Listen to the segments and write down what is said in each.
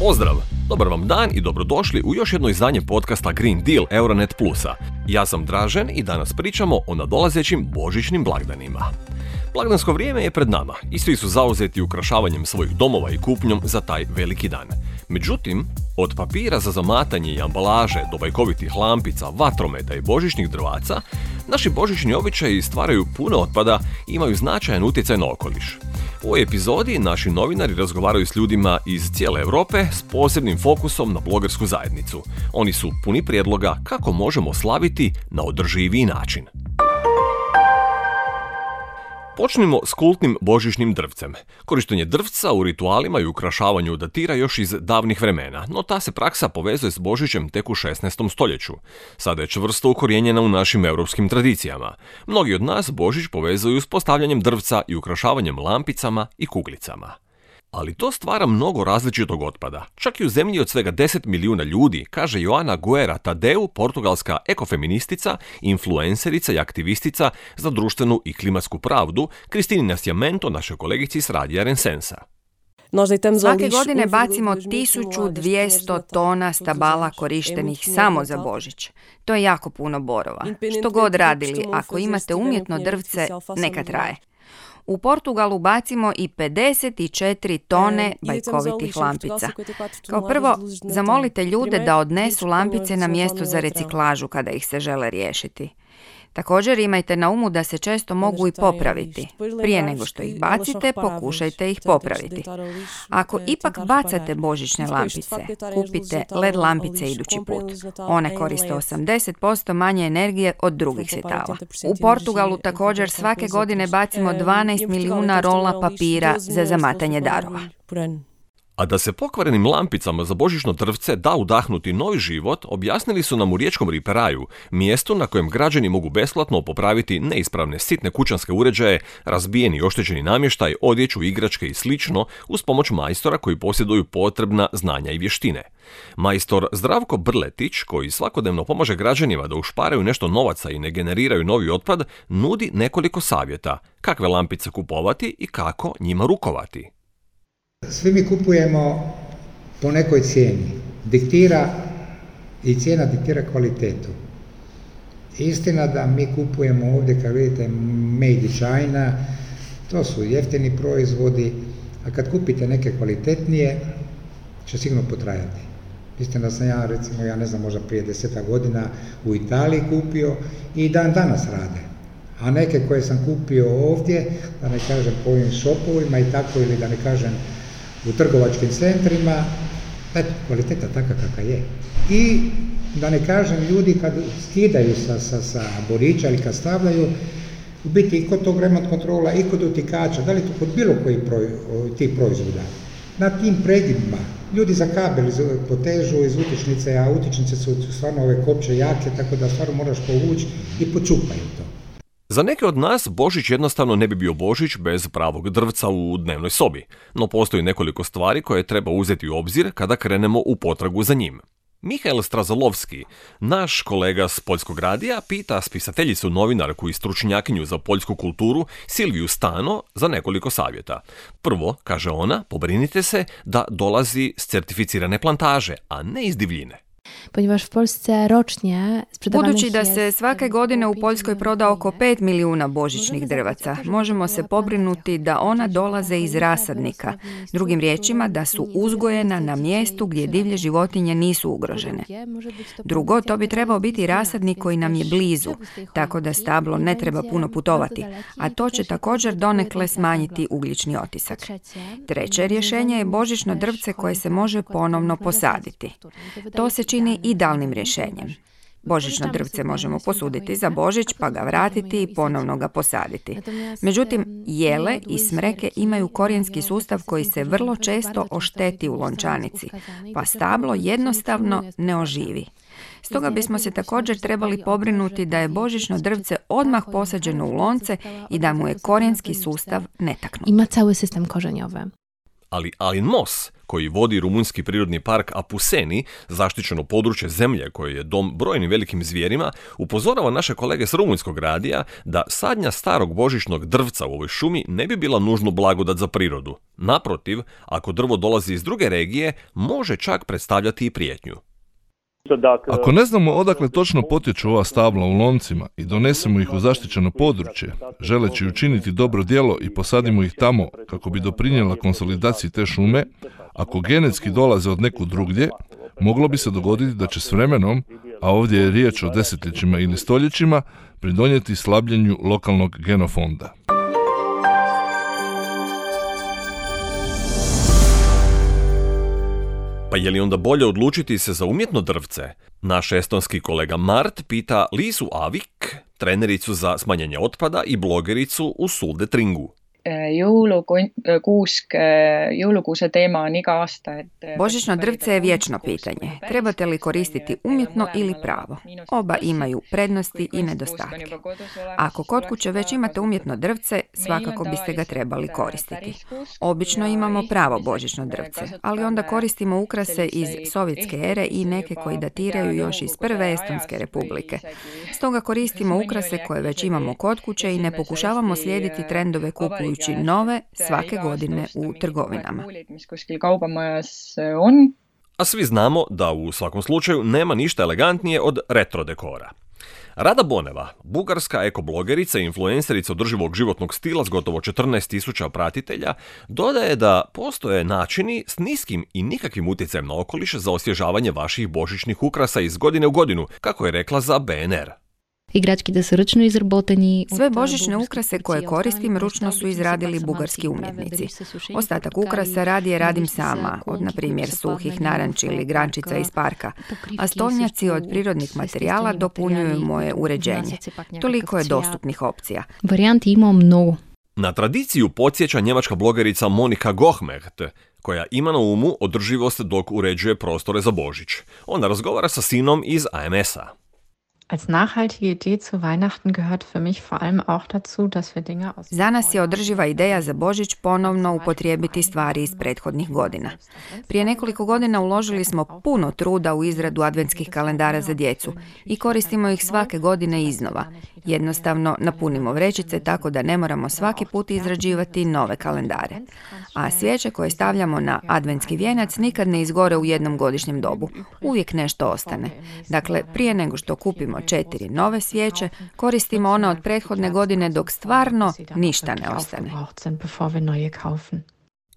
Pozdrav! Dobar vam dan i dobrodošli u još jedno izdanje podcasta Green Deal Euronet Plusa. Ja sam Dražen i danas pričamo o nadolazećim božićnim blagdanima. Blagdansko vrijeme je pred nama i svi su zauzeti ukrašavanjem svojih domova i kupnjom za taj veliki dan. Međutim, od papira za zamatanje i ambalaže do bajkovitih lampica, vatrometa i božićnih drvaca, naši božićni običaji stvaraju puno otpada i imaju značajan utjecaj na okoliš. U ovoj epizodi naši novinari razgovaraju s ljudima iz cijele Europe s posebnim fokusom na blogersku zajednicu. Oni su puni prijedloga kako možemo slaviti na održiviji način. Počnimo s kultnim božićnim drvcem. Korištenje drvca u ritualima i ukrašavanju datira još iz davnih vremena, no ta se praksa povezuje s Božićem tek u 16. stoljeću. Sada je čvrsto ukorijenjena u našim europskim tradicijama. Mnogi od nas Božić povezuju s postavljanjem drvca i ukrašavanjem lampicama i kuglicama. Ali to stvara mnogo različitog otpada. Čak i u zemlji od svega 10 milijuna ljudi, kaže Joana Guerra Tadeu, portugalska ekofeministica, influencerica i aktivistica za društvenu i klimatsku pravdu, Cristina Sciamento, našoj kolegici s radija Rensensa. Svake godine bacimo 1200 tona stabala korištenih samo za Božić. To je jako puno borova. Što god radili, ako imate umjetno drvce, neka traje. U Portugalu bacimo i 54 tone bajkovitih lampica. Kao prvo, zamolite ljude da odnesu lampice na mjesto za reciklažu kada ih se žele riješiti. Također imajte na umu da se često mogu i popraviti. Prije nego što ih bacite, pokušajte ih popraviti. Ako ipak bacate božićne lampice, kupite LED lampice idući put. One koriste 80% manje energije od drugih svjetala. U Portugalu također svake godine bacimo 12 milijuna rola papira za zamatanje darova. A da se pokvarenim lampicama za božićno drvce da udahnuti novi život, objasnili su nam u riječkom Riperaju, mjestu na kojem građani mogu besplatno popraviti neispravne sitne kućanske uređaje, razbijeni i oštećeni namještaj, odjeću, igračke i slično uz pomoć majstora koji posjeduju potrebna znanja i vještine. Majstor Zdravko Brletić, koji svakodnevno pomaže građanima da ušparaju nešto novaca i ne generiraju novi otpad, nudi nekoliko savjeta kakve lampice kupovati i kako njima rukovati. Svi mi kupujemo po nekoj cijeni. Cijena diktira kvalitetu. Istina da mi kupujemo ovdje, kad vidite, made in China, to su jeftini proizvodi, a kad kupite neke kvalitetnije, će sigurno potrajati. Istina da sam ja, recimo, možda prije 10 godina u Italiji kupio i danas rade. A neke koje sam kupio ovdje, da ne kažem po ovim shopovima i tako, ili da ne kažem u trgovačkim centrima, eto, kvaliteta taka kakva je. I da ne kažem, ljudi kad skidaju sa borića ili kad stavljaju, u biti i kod tog remont kontrola i kod utikača, da li to kod bilo koji tih proizvoda, na tim predivima, ljudi za kabel potežu iz utičnice, a utičnice su stvarno ove kopče jake, tako da stvarno moraš povući i počupaju to. Za neke od nas Božić jednostavno ne bi bio Božić bez pravog drvca u dnevnoj sobi, no postoji nekoliko stvari koje treba uzeti u obzir kada krenemo u potragu za njim. Mihael Strazalovski, naš kolega s Poljskog radija, pita spisateljicu, novinarku i stručnjakinju za poljsku kulturu Silviju Stano za nekoliko savjeta. Prvo, kaže ona, pobrinite se da dolazi s certificirane plantaže, a ne iz divljine. Budući da se svake godine u Poljskoj proda oko 5 milijuna božićnih drvaca, možemo se pobrinuti da ona dolaze iz rasadnika. Drugim riječima, da su uzgojena na mjestu gdje divlje životinje nisu ugrožene. Drugo, to bi trebao biti rasadnik koji nam je blizu, tako da stablo ne treba puno putovati, a to će također donekle smanjiti ugljični otisak. Treće rješenje je božićno drvce koje se može ponovno posaditi. To se čini idealnim rješenjem. Božićno drvce možemo posuditi za Božić, pa ga vratiti i ponovno ga posaditi. Međutim, jele i smreke imaju korijenski sustav koji se vrlo često ošteti u lončanici, pa stablo jednostavno ne oživi. Stoga bismo se također trebali pobrinuti da je božićno drvce odmah posađeno u lonce i da mu je korijenski sustav netaknut. Ima cały system korzeniowy. Ali Alin Mos, koji vodi rumunjski prirodni park Apuseni, zaštićeno područje zemlje koje je dom brojnim velikim zvijerima, upozorava naše kolege s rumunjskog radija da sadnja starog božićnog drvca u ovoj šumi ne bi bila nužno blagodat za prirodu. Naprotiv, ako drvo dolazi iz druge regije, može čak predstavljati i prijetnju. Ako ne znamo odakle točno potječu ova stabla u loncima i donesemo ih u zaštićeno područje, želeći učiniti dobro djelo i posadimo ih tamo kako bi doprinijela konsolidaciji te šume, ako genetski dolaze od nekud drugdje, moglo bi se dogoditi da će s vremenom, a ovdje je riječ o desetljećima ili stoljećima, pridonijeti slabljenju lokalnog genofonda. Pa je li onda bolje odlučiti se za umjetno drvce? Naš estonski kolega Mart pita Liisu Avik, trenericu za smanjenje otpada i blogericu u Suldetringu. Joulukuuse teema on iga aasta. Božićno drvce je vječno pitanje. Trebate li koristiti umjetno ili pravo? Oba imaju prednosti i nedostatke. Ako kod kuće već imate umjetno drvce, svakako biste ga trebali koristiti. Obično imamo pravo božićno drvce, ali onda koristimo ukrase iz sovjetske ere i neke koji datiraju još iz prve Estonske republike. Stoga koristimo ukrase koje već imamo kod kuće i ne pokušavamo slijediti trendove kupujući nove svake godine u trgovinama. A svi znamo da u svakom slučaju nema ništa elegantnije od retro dekora. Rada Boneva, bugarska ekoblogerica i influencerica održivog životnog stila s gotovo 14.000 pratitelja, dodaje da postoje načini s niskim i nikakvim utjecajem na okoliš za osvježavanje vaših božićnih ukrasa iz godine u godinu, kako je rekla za BNR. Igrački su ručno izrabotani. Sve božićne ukrase koje koristim ručno su izradili bugarski umjetnici. Ostatak ukrasa radije radim sama, od na primjer suhih naranči ili grančica iz parka, a stolnjaci od prirodnih materijala dopunjuju moje uređenje. Toliko je dostupnih opcija. Varijanti imamo mnogo. Na tradiciju podsjeća njemačka blogerica Monika Gohmecht, koja ima na umu održivost dok uređuje prostore za Božić. Ona razgovara sa sinom iz AMS-a. Als nachhaltige Idee zu Weihnachten gehört für mich vor allem auch dazu, dass wir Dinge aus... Za nas je održiva ideja za Božić ponovno upotrijebiti stvari iz prethodnih godina. Prije nekoliko godina uložili smo puno truda u izradu adventskih kalendara za djecu i koristimo ih svake godine iznova. Jednostavno napunimo vrećice tako da ne moramo svaki put izrađivati nove kalendare. A svijeće koje stavljamo na adventski vijenac nikad ne izgore u jednom godišnjem dobu. Uvijek nešto ostane. Dakle, prije nego što kupimo 4 nove svijeće, koristimo one od prethodne godine dok stvarno ništa ne ostane.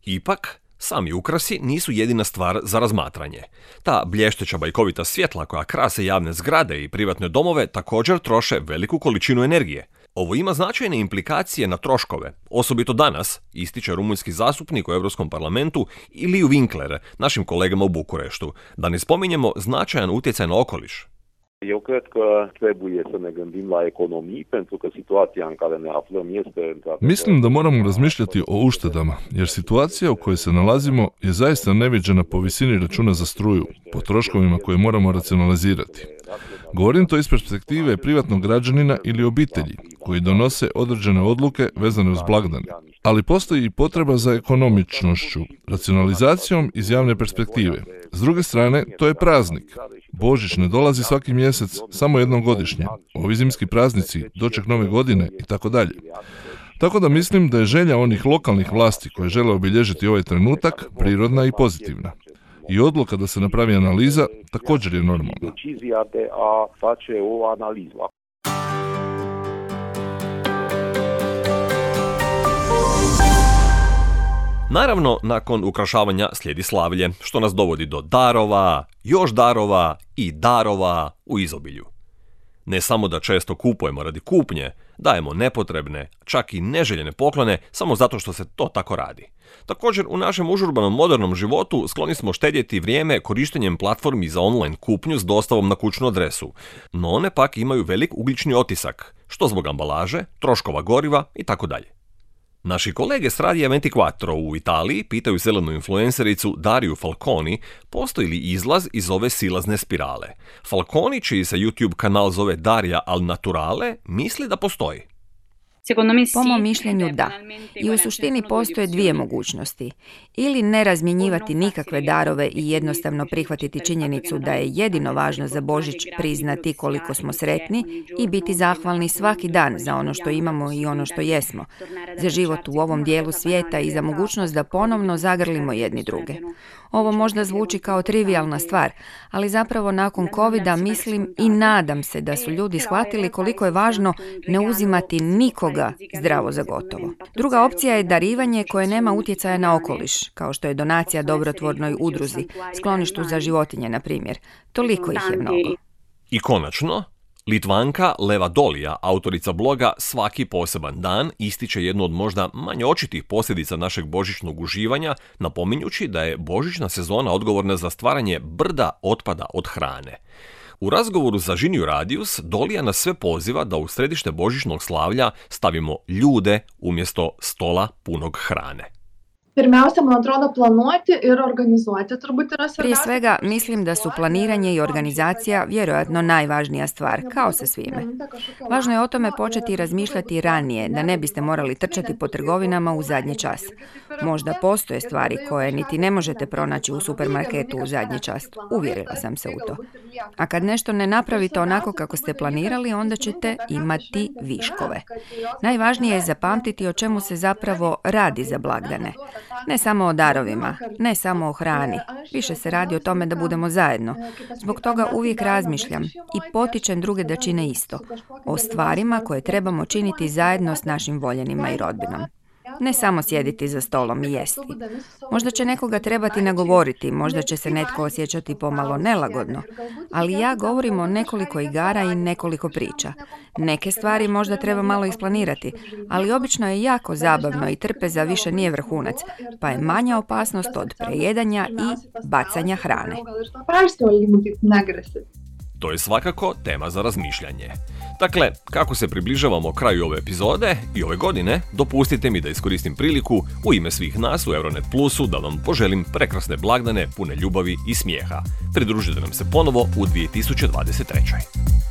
Ipak, sami ukrasi nisu jedina stvar za razmatranje. Ta blješteća bajkovita svjetla koja krase javne zgrade i privatne domove također troše veliku količinu energije. Ovo ima značajne implikacije na troškove, osobito danas, ističe rumunjski zastupnik u Europskom parlamentu Iliju Winkler, našim kolegama u Bukureštu, da ne spominjemo značajan utjecaj na okoliš. Eu cred că trebuie să ne gândim la economii, pentru că situația în care ne aflăm este... Mislim da moramo razmišljati o uštedama, jer situacija u kojoj se nalazimo je zaista neviđena po visini računa za struju, po troškovima koje moramo racionalizirati. Govorim to iz perspektive privatnog građanina ili obitelji, koji donose određene odluke vezane uz blagdane. Ali postoji i potreba za ekonomičnošću, racionalizacijom iz javne perspektive. S druge strane, to je praznik. Božić ne dolazi svaki mjesec, samo jednom godišnje. Ovi zimski praznici, doček nove godine i tako dalje. Tako da mislim da je želja onih lokalnih vlasti koje žele obilježiti ovaj trenutak prirodna i pozitivna. I odluka da se napravi analiza također je normalna. Naravno, nakon ukrašavanja slijedi slavlje, što nas dovodi do darova, još darova i darova u izobilju. Ne samo da često kupujemo radi kupnje, dajemo nepotrebne, čak i neželjene poklone samo zato što se to tako radi. Također, u našem užurbanom modernom životu skloni smo štedjeti vrijeme korištenjem platformi za online kupnju s dostavom na kućnu adresu, no one pak imaju velik ugljični otisak, što zbog ambalaže, troškova goriva i tako dalje. Naši kolege s Radija 24 u Italiji pitaju zelenu influencericu Dariju Falconi postoji li izlaz iz ove silazne spirale. Falconi, čiji se YouTube kanal zove Daria al Naturale, misli da postoji. Po mom mišljenju da. I u suštini postoje dvije mogućnosti. Ili ne razmjenjivati nikakve darove i jednostavno prihvatiti činjenicu da je jedino važno za Božić priznati koliko smo sretni i biti zahvalni svaki dan za ono što imamo i ono što jesmo, za život u ovom dijelu svijeta i za mogućnost da ponovno zagrlimo jedni druge. Ovo možda zvuči kao trivijalna stvar, ali zapravo nakon covida mislim i nadam se da su ljudi shvatili koliko je važno ne uzimati nikoga zdravo za gotovo. Druga opcija je darivanje koje nema utjecaja na okoliš, kao što je donacija dobrotvornoj udruzi, skloništu za životinje, na primjer. Toliko ih je mnogo. I konačno, Litvanka Leva Dolija, autorica bloga Svaki poseban dan, ističe jednu od možda manje očitih posljedica našeg božićnog uživanja, napominjući da je božićna sezona odgovorna za stvaranje brda otpada od hrane. U razgovoru za Žiniju Radius, Dolija nas sve poziva da u središte božićnog slavlja stavimo ljude umjesto stola punog hrane. Prije svega, mislim da su planiranje i organizacija vjerojatno najvažnija stvar, kao sa svime. Važno je o tome početi razmišljati ranije, da ne biste morali trčati po trgovinama u zadnji čas. Možda postoje stvari koje niti ne možete pronaći u supermarketu u zadnji čas. Uvjerila sam se u to. A kad nešto ne napravite onako kako ste planirali, onda ćete imati viškove. Najvažnije je zapamtiti o čemu se zapravo radi za blagdane. Ne samo o darovima, ne samo o hrani. Više se radi o tome da budemo zajedno. Zbog toga uvijek razmišljam i potičem druge da čine isto. O stvarima koje trebamo činiti zajedno s našim voljenima i rodbinom. Ne samo sjediti za stolom i jesti. Možda će nekoga trebati nagovoriti, možda će se netko osjećati pomalo nelagodno, ali ja govorim o nekoliko igara i nekoliko priča. Neke stvari možda treba malo isplanirati, ali obično je jako zabavno i trpeza više nije vrhunac, pa je manja opasnost od prejedanja i bacanja hrane. To je svakako tema za razmišljanje. Dakle, kako se približavamo kraju ove epizode i ove godine, dopustite mi da iskoristim priliku u ime svih nas u Euronet Plusu da vam poželim prekrasne blagdane pune ljubavi i smijeha. Pridružite nam se ponovo u 2023.